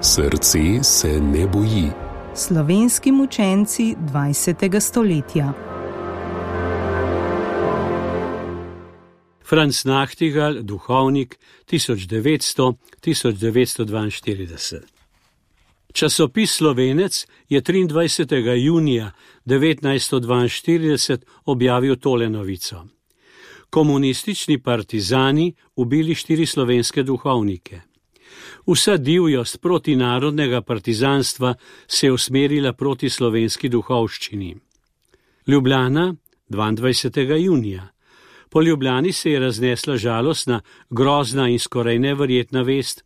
Srce se ne boji. Slovenski mučenci 20. stoletja. Franc Nachtigal, duhovnik 1900-1942. Časopis Slovenec je 23. junija 1942 objavil tole novico. Komunistični partizani ubili 4 slovenske duhovnike. Vsa divjost protinarodnega partizanstva se je usmerila proti slovenski duhovščini. Ljubljana, 22. junija. Po Ljubljani se je raznesla žalostna, grozna in skoraj neverjetna vest,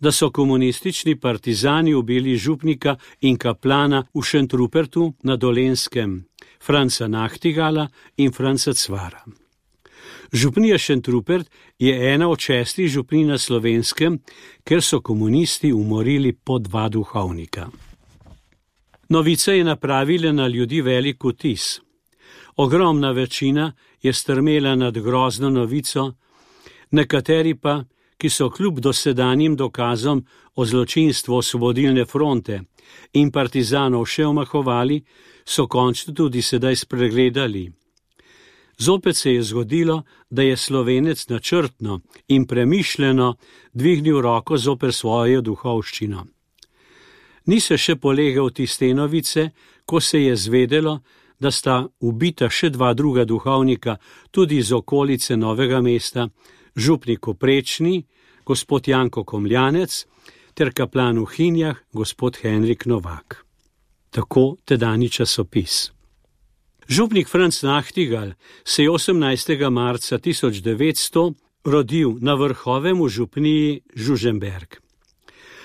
da so komunistični partizani ubili župnika in kaplana v Šentrupertu na Dolenjskem, Franca Nachtigala in Franca Cvara. Župnija Šentrupert je ena od 6 župnij na Slovenskem, ker so komunisti umorili po 2 duhovnika. Novica je napravila na ljudi velik vtis. Ogromna večina je strmela nad grozno novico, nekateri pa, ki so kljub dosedanjim dokazom o zločinstvu Osvobodilne fronte in partizanov še omahovali, so končno tudi sedaj spregledali. Zopet se je zgodilo, da je Slovenec načrtno in premišljeno dvignil roko zoper svojo duhovščino. Ni se še polegel tiste novice, ko se je zvedelo, da sta ubita še 2 druga duhovnika tudi iz okolice Novega mesta, župnik v Prečni, gospod Janko Komljanec, ter kaplan v Hinjah, gospod Henrik Novak. Tako tedajni časopis. Župnik Franc Nachtigal se je 18. marca 1900 rodil na Vrhovem v župniji Žužemberk.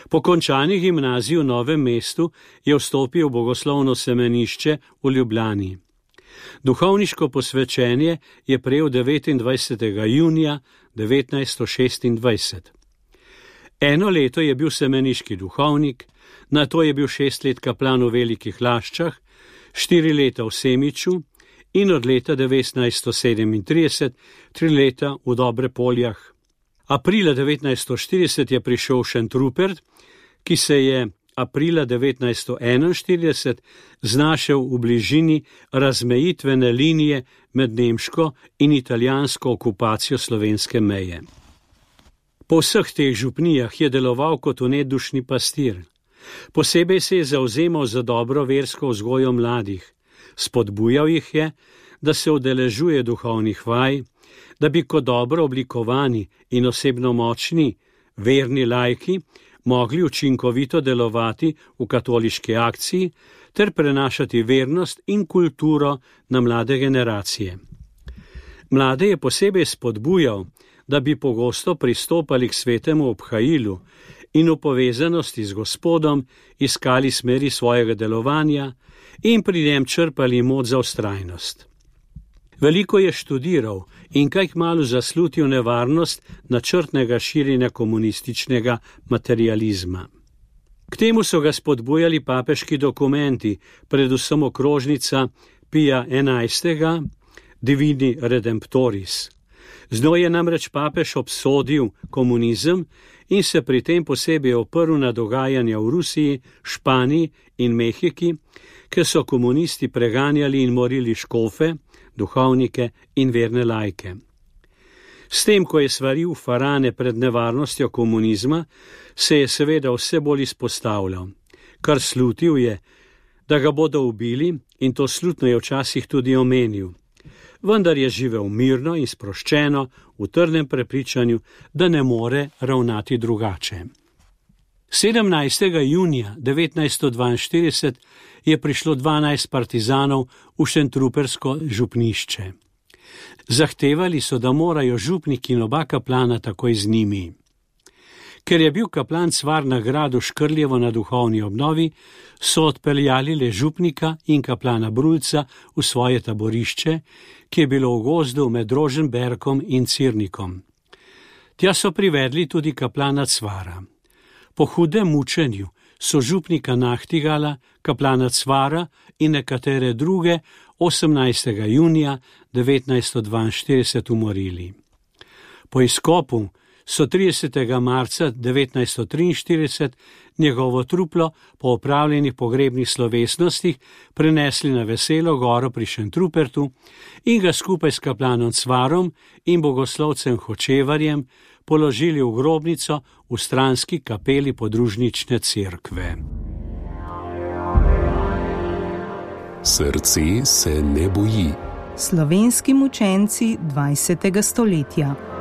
Po končani gimnaziji v Novem mestu je vstopil v bogoslovno semenišče v Ljubljani. Duhovniško posvečenje je prejel 29. junija 1926. Eno leto je bil semeniški duhovnik, nato je bil 6 let kaplan v Velikih Laščah, 4 leta v Semiču in od leta 1937 3 leta v Dobrepoljah. Aprila 1940 je prišel v Šentrupert, ki se je aprila 1941 znašel v bližini razmejitvene linije med nemško in italijansko okupacijo slovenske meje. Po vseh teh župnijah je deloval kot nedušni pastir. Posebej se je zavzemal za dobro versko vzgojo mladih. Spodbujal jih je, da se udeležuje duhovnih vaj, da bi kot dobro oblikovani in osebno močni, verni laiki mogli učinkovito delovati v katoliški akciji ter prenašati vernost in kulturo na mlade generacije. Mlade je posebej spodbujal, da bi pogosto pristopali k svetemu obhajilu in v povezanosti z Gospodom iskali smeri svojega delovanja in pri njem črpali moč za vztrajnost. Veliko je študiral in kaj kmalu zaslutil nevarnost načrtnega širjenja komunističnega materializma. K temu so ga spodbujali papeški dokumenti, predvsem okrožnica Pija XI. Divini Redemptoris. Z njo je namreč papež obsodil komunizem in se pri tem posebej oprl na dogajanja v Rusiji, Španiji in Mehiki, ker so komunisti preganjali in morili škofe, duhovnike in verne laike. S tem, ko je svaril farane pred nevarnostjo komunizma, se je seveda vse bolj izpostavljal. Kar slutil je, da ga bodo ubili, in to slutno je včasih tudi omenil. Vendar je živel mirno in sproščeno v trdnem prepričanju, da ne more ravnati drugače. 17. junija 1942 je prišlo 12 partizanov v šentrupersko župnišče. Zahtevali so, da morajo župnik in oba kaplana takoj z njimi. Ker je bil kaplan Cvar na gradu Škrljevo na duhovni obnovi, so odpeljali le župnika in kaplana Brulca v svoje taborišče, ki je bilo v gozdu med Roženberkom in Cirnikom. Tja so privedli tudi kaplana Cvara. Po hudem mučenju so župnika Nachtigala, kaplana Cvara in nekatere druge 18. junija 1942 umorili. Po izkopu so 30. marca 1943 njegovo truplo po opravljenih pogrebnih slovesnostih prenesli na Veselo goro pri Šentrupertu in ga skupaj s kaplanom Cvarom in bogoslovcem Hočevarjem položili v grobnico v stranski kapeli podružnične cerkve. Srce se ne boji. Slovenski mučenci 20. stoletja.